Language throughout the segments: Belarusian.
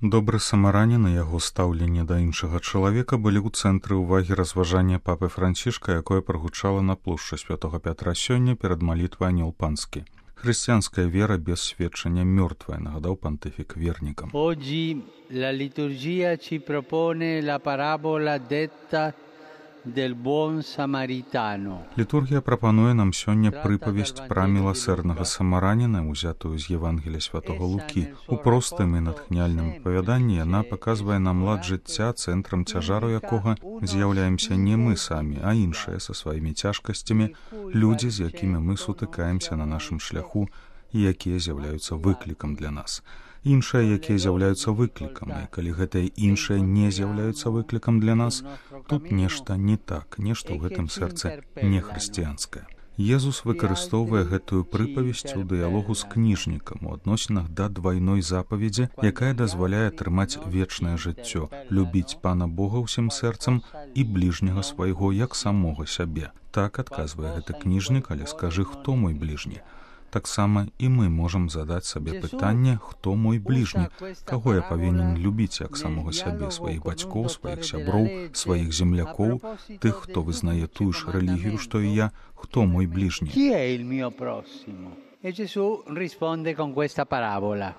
Добры самаранін і яго стаўленне да іншага чалавека былі ў цэнтры ўвагі разважання папы Францішка, якое прагучала на плошчы Святога Пятра сёння перад малітвай Анёл Панскі. Хрысціянская вера без сведчання мёртвая, нагадаў пантыфік вернікам. Oggi la liturgia ci propone la parabola detta del buon samaritano. Літургія прапануе нам сёння прыпавесць пра міласэрнага самараніна, узятую з Евангелія святого Лукі. У простым і натхняльным апавяданні яна паказвае нам лад жыцця, цэнтрам цяжару якога з'яўляемся не мы самі, а іншыя са сваімі цяжкасцямі, людзі, з якімі мы сутыкаемся на нашым шляху і якія з'яўляюцца выклікам для нас. Іншыя, якія з'яўляюцца выклікам, і калі гэтыя іншыя не з'яўляюцца выклікам для нас, тут нешта не так, нешта ў гэтым сэрцы не хрысціянскае. Езус выкарыстоўвае гэтую прыпавесць у дыялогу з кніжнікам у адносінах да двайной запаведзі, якая дазваляе атрымаць вечнае жыццё, любіць Пана Бога ўсім сэрцам і бліжняга свайго як самога сябе. Так адказвае гэты кніжнік, але скажы, хто мой бліжні? Таксама і мы можам задаць сабе пытанне, хто мой бліжні, каго я павінен любіць як самога сябе, сваіх бацькоў, сваіх сяброў, сваіх землякоў, тых, хто вызнае тую ж рэлігію, што і я, хто мой бліжні. Chi è il mio prossimo? E Gesù risponde con questa parabola.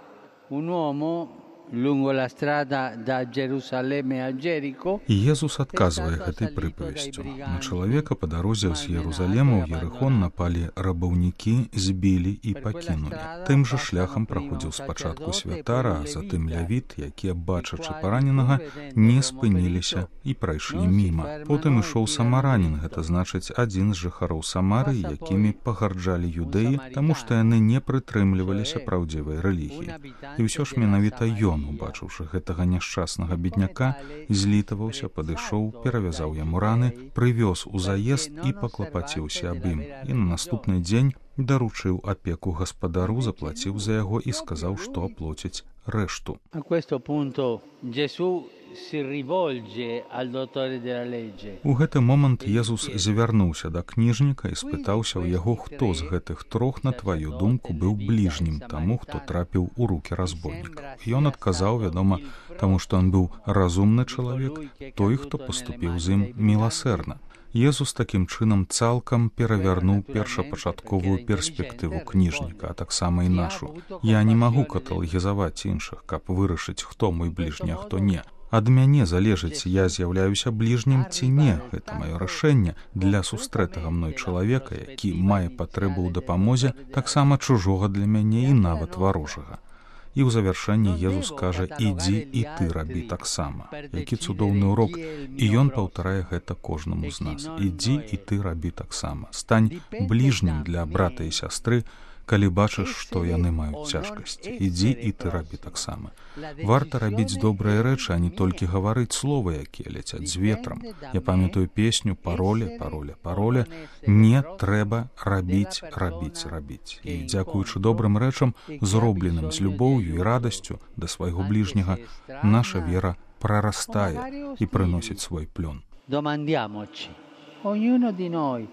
Un uomo lungo la strada da Gerusalemme a Gerico. І Езус адказвае гэтай прыпавесцю. На чалавека па дарозе з Єрусалема ў Єрихон напалі рабаўнікі, збілі і пакінулі. Тым жа шляхам праходзіў спачатку святара, а затым лявіт, якія, бачачы параненага, не спыніліся і прайшлі міма. Потым ішоў самаранін, гэта значыць адзін з жыхароў Самары, якімі пагарджалі юдэі, таму што яны не прытрымліваліся праўдзівай рэлігіі. І ўсё ж менавіта ён, убачыўшы гэтага няшчаснага бедняка, злітаваўся, падышоў, перавязаў яму раны, прывёз у заезд і паклапаціўся аб ім. І на наступны дзень даручыў апеку гаспадару, заплаціў за яго і сказаў, што аплоціць рэшту. A questo punto Gesù si rivolge al dottore della legge. У гэты момант Езус звярнуўся да кніжніка і спытаўся ў яго, хто з гэтых трох, на тваю думку, быў бліжнім таму, хто трапіў у рукі разбойнікаў. Ён адказаў, вядома, таму што ён быў разумны чалавек, той, хто паступіў з ім міласэрна. Езус такім чынам цалкам перавярнуў першапачатковую перспектыву кніжніка, а таксама і нашу. Я не магу каталагізаваць іншых, каб вырашыць, хто мой бліжні, а хто не. Ад мяне залежыць, я з'яўляюся бліжнім ці не. Гэта маё рашэнне для сустрэтага мной чалавека, які мае патрэбу ў дапамозе, таксама чужога для мяне і нават варожага. І ў завяршэнні Езус кажа, ідзі і ты рабі таксама. Які цудоўны урок, і ён паўтарае гэта кожнаму з нас. Ідзі і ты рабі таксама. Стань бліжнім для брата і сястры, калі бачыш, што яны маюць цяжкасці. Ідзі і ты рабі таксама. Варта рабіць добрыя рэчы, а не толькі гаварыць словы, якія ляцяць з ветрам. Я памятаю песню «Пароля, пароля, пароля». Не трэба рабіць, рабіць, рабіць. І дзякуючы добрым рэчам, зробленым з любоўю і радасцю да свайго бліжняга, наша вера прарастае і прыносіць свой плён. Domandiamoci, ognuno di noi,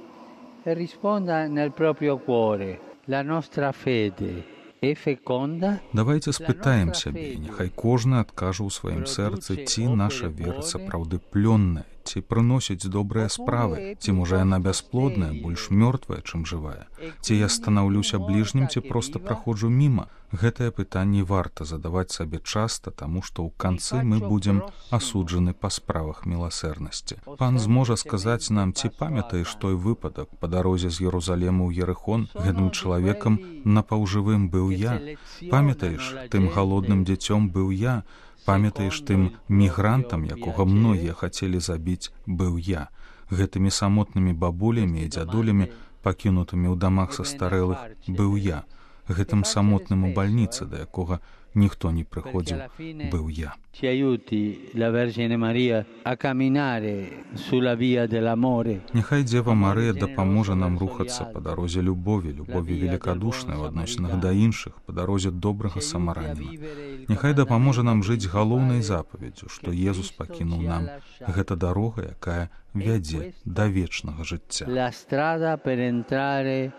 e risponda nel proprio cuore. La nostra fede è feconda? Давайте спытаем сябе, няхай кожны адкажа ў сваім сэрцы, ці наша вера сапраўды плённая, ці прыносіць добрыя справы, ці можа яна бясплодная, больш мёртвая, чым жывая. Ці я станаўлюся бліжнім, ці проста праходжу міма. Гэтае пытанне варта задаваць сабе часта, таму што ў канцы мы будзем асуджаны па справах міласэрнасці. Пан зможа сказаць нам, ці памятаеш той выпадак па дарозе з Єрусалему ў Єрихон, гэтым чалавекам напаўжывым быў я. Памятаеш, тым галодным дзіцём быў я. Памятаеш, тым мігрантам, якога многія хацелі забіць, быў я. Гэтымі самотнымі бабулямі і дзядулямі, пакінутымі ў дамах састарэлых, быў я. Гэтым самотным у бальніцы, да якога ніхто не прыходзіў, быў я. Ci aiuti la Vergine Maria a camminare sulla via dell'amore. Няхай Дзева Марыя дапаможа нам рухацца па дарозе любові, любові великадушнай у адносінах да іншых, па дарозе добрага самараніна. Няхай дапаможа нам жыць галоўнай запаведдзю, што Езус пакінуў нам. Гэта дарога, якая вядзе да вечнага жыцця. La strada per entrare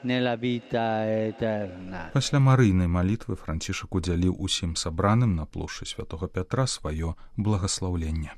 nella vita eterna. Пасля марыйнай малітвы Францішак удзяліў усім сабраным на плошчы святого Пятра сваё благаслаўленне.